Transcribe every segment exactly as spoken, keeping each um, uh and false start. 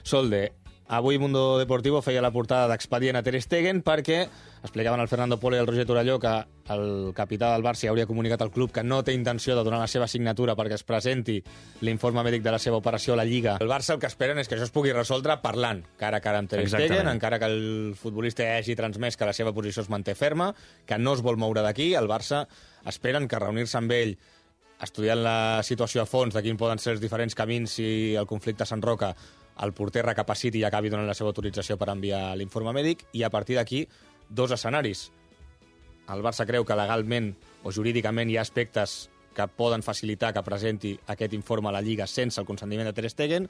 Solde, avui Mundo Deportivo feia la portada d'expedient a Ter Stegen perquè explicaven al Fernando Polo i al Roger Torelló que el capità del Barça hauria comunicat al club que no té intenció de donar la seva signatura perquè es presenti l'informe mèdic de la seva operació a la Lliga. El Barça el que esperen és que això es pugui resoldre parlant cara a cara amb Ter Stegen, encara que el futbolista hagi transmès que la seva posició es manté ferma, que no es vol moure d'aquí. El Barça esperen que reunir-se amb ell, estudiant la situació a fons de quins poden ser els diferents camins si el conflicte s'enroca, el porter recapaciti i acabi donant la seva autorització per enviar l'informe mèdic, i a partir d'aquí, dos escenaris. El Barça creu que legalment o jurídicament hi ha aspectes que poden facilitar que presenti aquest informe a la Lliga sense el consentiment de Ter Stegen,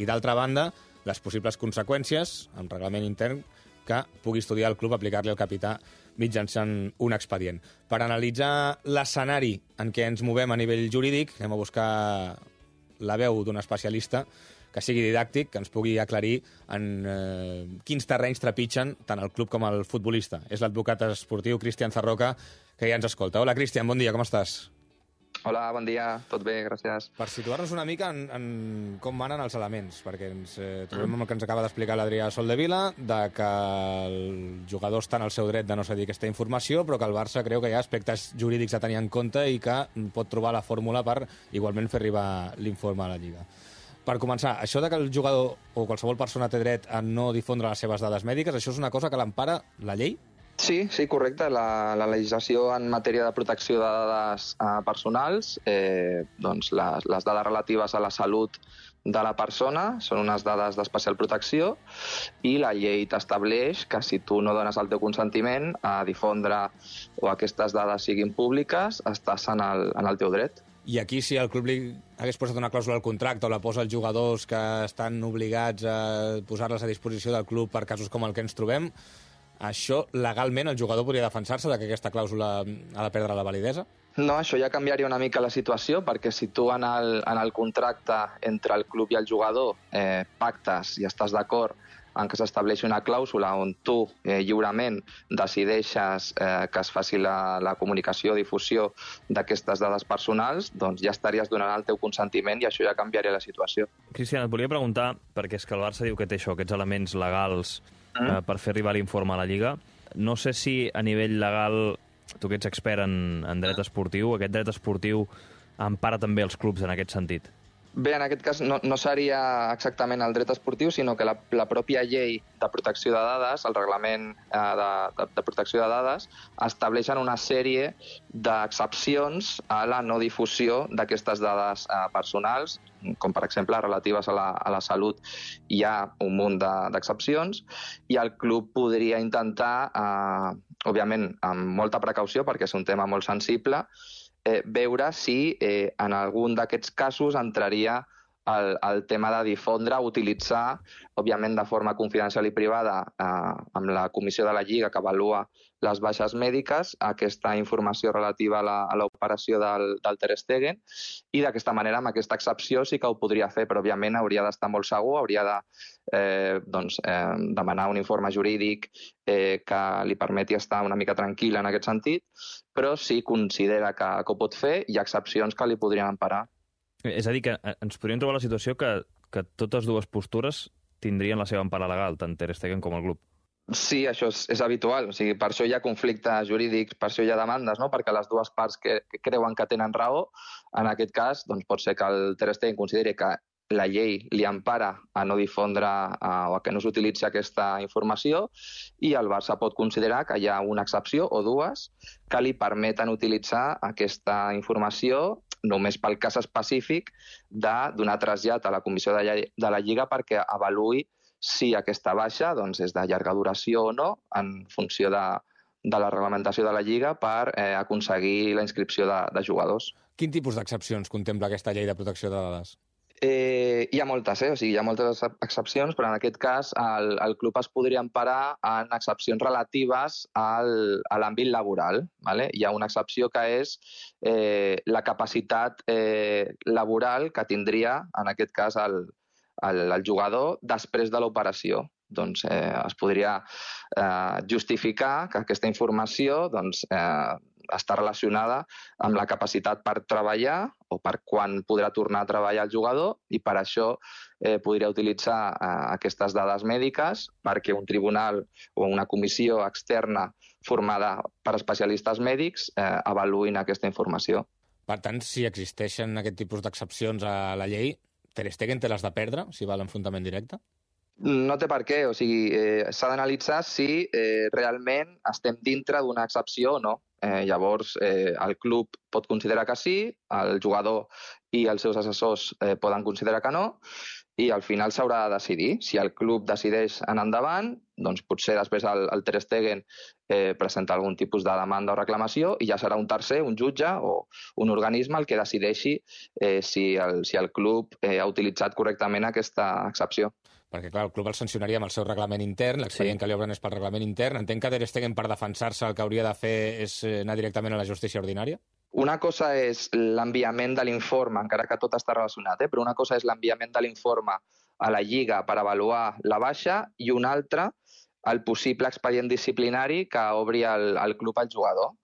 i d'altra banda, les possibles conseqüències, amb reglament intern, que pugui estudiar el club, aplicar-li al capità mitjançant un expedient. Per analitzar l'escenari en què ens movem a nivell jurídic, anem a buscar la veu d'un especialista que sigui didàctic, que ens pugui aclarir en eh, quins terrenys trepitgen tant el club com el futbolista. És l'advocat esportiu Cristian Zarroca, que ja ens escolta. Hola, Cristian, bon dia, com estàs? Hola, bon dia, tot bé, gràcies. Per situar-nos una mica en, en com manen els elements, perquè ens eh, trobem amb el que ens acaba d'explicar l'Adrià Soldevila, de que el jugador està en el seu dret de no cedir aquesta informació, però que el Barça creu que hi ha aspectes jurídics a tenir en compte i que pot trobar la fórmula per igualment fer arribar l'informe a la Lliga. Per començar, això de que el jugador o qualsevol persona té dret a no difondre les seves dades mèdiques, això és una cosa que l'empara la llei? Sí, sí, correcte. La, la legislació en matèria de protecció de dades eh, personals, eh, doncs les, les dades relatives a la salut de la persona són unes dades d'especial protecció, i la llei t'estableix que si tu no dones el teu consentiment a difondre o aquestes dades siguin públiques, estàs en el, en el teu dret. I aquí, si el club li hagués posat una clàusula al contracte o la posa als jugadors que estan obligats a posar-les a disposició del club per casos com el que ens trobem, això legalment el jugador podria defensar-se de que aquesta clàusula ha de perdre la validesa? No, això ja canviaria una mica la situació, perquè si tu en el, en el contracte entre el club i el jugador eh, pactes i estàs d'acord en què s'estableixi una clàusula on tu eh, lliurement decideixes eh, que es faci la, la comunicació o difusió d'aquestes dades personals, doncs ja estaries donant el teu consentiment i això ja canviaria la situació. Cristian, et volia preguntar, perquè és que el Barça diu que té això, aquests elements legals mm. eh, per fer arribar l'informe a la Lliga. No sé si a nivell legal, tu que ets expert en, en dret esportiu, aquest dret esportiu empara també els clubs en aquest sentit? Bé, en aquest cas no, no seria exactament el dret esportiu, sinó que la, la pròpia llei de protecció de dades, el reglament eh, de, de, de protecció de dades, estableixen una sèrie d'excepcions a la no difusió d'aquestes dades eh, personals, com per exemple relatives a la, a la salut. Hi ha un munt d'excepcions i el club podria intentar, eh, òbviament amb molta precaució perquè és un tema molt sensible, Eh, veure si eh, en algun d'aquests casos entraria el, el tema de difondre, utilitzar, òbviament de forma confidencial i privada, eh, amb la comissió de la Lliga que avalua les baixes mèdiques, aquesta informació relativa a l'operació del, del Ter Stegen, i d'aquesta manera, amb aquesta excepció, sí que ho podria fer, però òbviament hauria d'estar molt segur, hauria de eh, doncs, eh, demanar un informe jurídic eh, que li permeti estar una mica tranquil en aquest sentit, però si considera que, que ho pot fer, hi ha excepcions que li podrien emparar. És a dir, que ens podríem trobar la situació que, que totes dues postures tindrien la seva empara legal, tant Ter Stegen com el club. Sí, això és, és habitual. O sigui, per això hi ha conflictes jurídics, per això hi ha demandes, no? Perquè les dues parts que, que creuen que tenen raó, en aquest cas, doncs pot ser que el Ter Stegen consideri que la llei li empara a no difondre uh, o a que no s'utilitzi aquesta informació, i el Barça pot considerar que hi ha una excepció o dues que li permeten utilitzar aquesta informació només pel cas específic de donar trasllat a la comissió de, de la Lliga perquè avaluï si aquesta baixa doncs, és de llarga duració o no, en funció de, de la reglamentació de la Lliga, per eh, aconseguir la inscripció de, de jugadors. Quin tipus d'excepcions contempla aquesta llei de protecció de dades? Eh, hi ha moltes, eh? O sigui, hi ha moltes excepcions, però en aquest cas el, el club es podria emparar en excepcions relatives al, a l'àmbit laboral. ¿Vale? Hi ha una excepció que és eh, la capacitat eh, laboral que tindria, en aquest cas, el, el, el jugador després de l'operació. Doncs eh, es podria eh, justificar que aquesta informació doncs, eh, està relacionada amb la capacitat per treballar o per quan podrà tornar a treballar el jugador, i per això eh, podria utilitzar eh, aquestes dades mèdiques perquè un tribunal o una comissió externa formada per especialistes mèdics eh, avaluïn aquesta informació. Per tant, si existeixen aquest tipus d'excepcions a la llei, Ter Stegen té les de perdre si va a l'enfrontament directe? No té per què, o sigui, eh, s'ha d'analitzar si eh, realment estem dintre d'una excepció o no. Eh, llavors, eh, el club pot considerar que sí, el jugador i els seus assessors eh, poden considerar que no, i al final s'haurà de decidir. Si el club decideix anar endavant, doncs potser després el, el Ter Stegen eh, presenta algun tipus de demanda o reclamació i ja serà un tercer, un jutge o un organisme el que decideixi eh, si, el, si el club eh, ha utilitzat correctament aquesta excepció. Perquè, clar, el club el sancionaria amb el seu reglament intern, l'expedient sí. que li obren és pel reglament intern. Entenc que Ter Stegen, per defensar-se, el que hauria de fer és anar directament a la justícia ordinària? Una cosa és l'enviament de l'informe, encara que tot està relacionat, eh? però una cosa és l'enviament de l'informe a la Lliga per avaluar la baixa i una altra el possible expedient disciplinari que obri el, el club al jugador.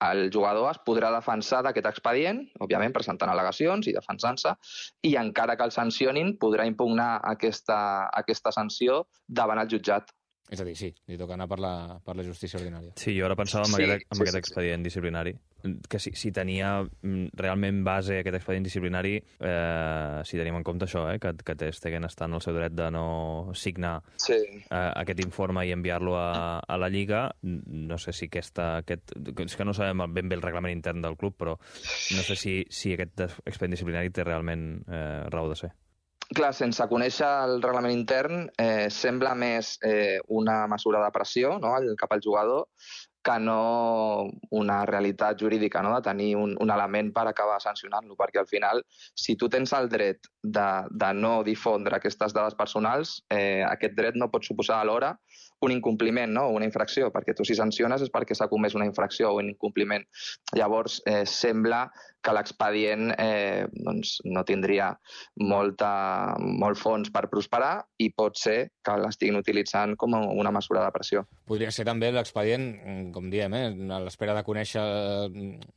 El jugador es podrà defensar d'aquest expedient, òbviament presentant al·legacions i defensant-se, i encara que el sancionin podrà impugnar aquesta, aquesta sanció davant el jutjat. És a dir, sí, li toca anar per la, per la justícia ordinària. Sí, jo ara pensava en sí, aquest, en sí, aquest sí, expedient sí. disciplinari, que si, si tenia realment base aquest expedient disciplinari, eh, si tenim en compte això, eh, que, que Ter Stegen està en el seu dret de no signar sí. eh, aquest informe i enviar-lo a, a la Lliga, no sé si aquesta... Aquest, és que no sabem ben bé el reglament intern del club, però no sé si, si aquest expedient disciplinari té realment eh, raó de ser. Clar, sense conèixer el reglament intern, eh, sembla més eh, una mesura de pressió, no?, cap al jugador, que no una realitat jurídica, no?, de tenir un, un element per acabar sancionant-lo, perquè al final, si tu tens el dret de, de no difondre aquestes dades personals, eh, aquest dret no pot suposar alhora un incompliment, no?, una infracció, perquè tu si sanciones és perquè s'ha comès una infracció o un incompliment. Llavors, eh, sembla que l'expedient eh, doncs, no tindria molta, molt fons per prosperar i pot ser que l'estiguin utilitzant com una mesura de pressió. Podria ser també l'expedient, com diem, eh, a l'espera de conèixer...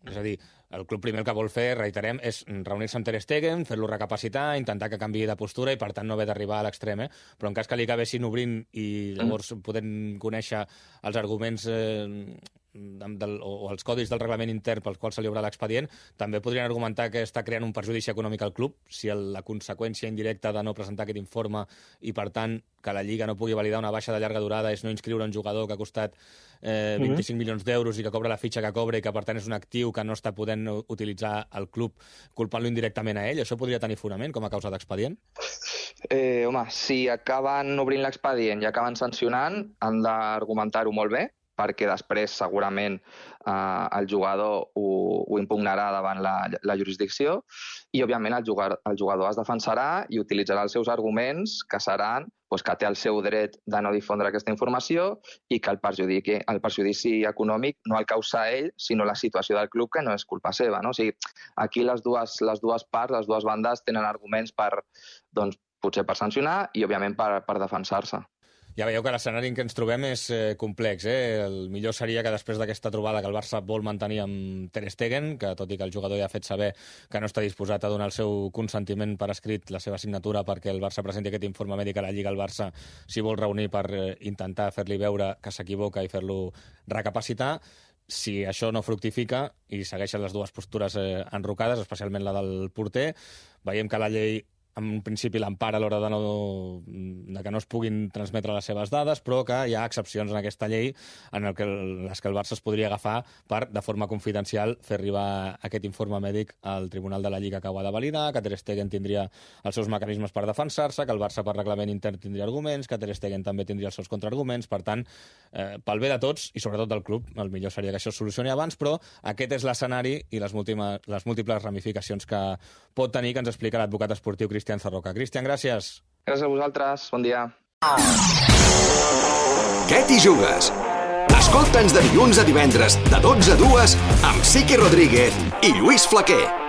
És a dir, el club primer el que vol fer, reiterem, és reunir-se amb Ter Stegen, fer-lo recapacitar, intentar que canviï de postura i, per tant, no haver d'arribar a l'extrem. Eh? Però en cas que li acabessin obrint i llavors mm. podem conèixer els arguments eh, del, o els codis del reglament intern pels quals se li obre l'expedient, també podrien argumentar que està creant un perjudici econòmic al club si el, la conseqüència indirecta de no presentar aquest informe i, per tant, que la Lliga no pugui validar una baixa de llarga durada és no inscriure un jugador que ha costat eh, vint-i-cinc mm-hmm. milions d'euros i que cobra la fitxa que cobra i que, per tant, és un actiu que no està podent utilitzar el club culpant-lo indirectament a ell. Això podria tenir fonament com a causa d'expedient? Eh, home, si acaben obrint l'expedient i acaben sancionant, han d'argumentar-ho molt bé, perquè després segurament eh, el jugador ho, ho impugnarà davant la, la jurisdicció i, òbviament, el jugador, el jugador es defensarà i utilitzarà els seus arguments, que seran doncs, que té el seu dret de no difondre aquesta informació i que el, perjudici, el perjudici econòmic no el causa ell, sinó la situació del club, que no és culpa seva. No? O sigui, aquí les dues, les dues parts, les dues bandes, tenen arguments per, doncs, potser per sancionar i, òbviament, per, per defensar-se. Ja veieu que l'escenari en què ens trobem és eh, complex. Eh? El millor seria que després d'aquesta trobada que el Barça vol mantenir amb Ter Stegen, que tot i que el jugador ja ha fet saber que no està disposat a donar el seu consentiment per escrit, la seva signatura, perquè el Barça presenti aquest informe mèdic a la Lliga, el Barça s'hi vol reunir per eh, intentar fer-li veure que s'equivoca i fer-lo recapacitar. Si això no fructifica i segueixen les dues postures eh, enrocades, especialment la del porter, veiem que la llei en principi l'empara a l'hora de, no, de que no es puguin transmetre les seves dades, però que hi ha excepcions en aquesta llei en el que, les que el Barça es podria agafar per, de forma confidencial, fer arribar aquest informe mèdic al Tribunal de la Lliga que ho ha de validar, que Ter Stegen tindria els seus mecanismes per defensar-se, que el Barça per reglament intern tindria arguments, que Ter Stegen també tindria els seus contraarguments. Per tant, eh, pel bé de tots, i sobretot del club, el millor seria que això es solucioni abans, però aquest és l'escenari i les, múltiples, les múltiples ramificacions que pot tenir, que ens explica l'advocat esportiu Cristian Zarroca. Cristian, gràcies. Gràcies a vosaltres. Bon dia. Què t'hi jugues? Escolta'ns de dilluns a divendres de dotze a dues amb Siqui Rodríguez i Lluís Flaquer.